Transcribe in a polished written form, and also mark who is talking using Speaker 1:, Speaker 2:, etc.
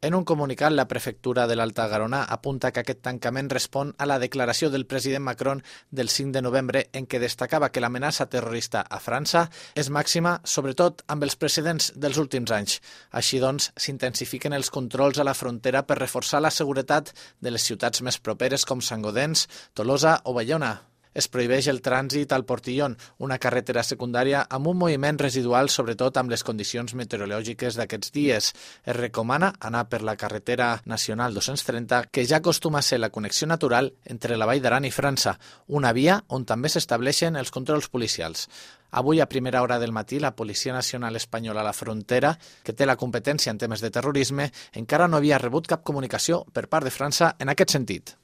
Speaker 1: En un comunicat, la prefectura de l'Alta Garona apunta que aquest tancament respon a la declaració del president Macron del 5 de novembre en què destacava que l'amenaça terrorista a França és màxima, sobretot amb els precedents dels últims anys. Així doncs, s'intensifiquen els controls a la frontera per reforçar la seguretat de les ciutats més properes com Sant-Gaudens, Tolosa o Bayona. Es prohibeix el trànsit al Portillon, una carretera secundària amb un moviment residual, sobretot amb les condicions meteorològiques d'aquests dies. Es recomana anar per la carretera nacional 230, que ja acostuma a ser la connexió natural entre la Vall d'Aran i França, una via on també s'estableixen els controls policials. Avui, a primera hora del matí, la Policia Nacional Espanyola a la frontera, que té la competència en temes de terrorisme, encara no havia rebut cap comunicació per part de França en aquest sentit.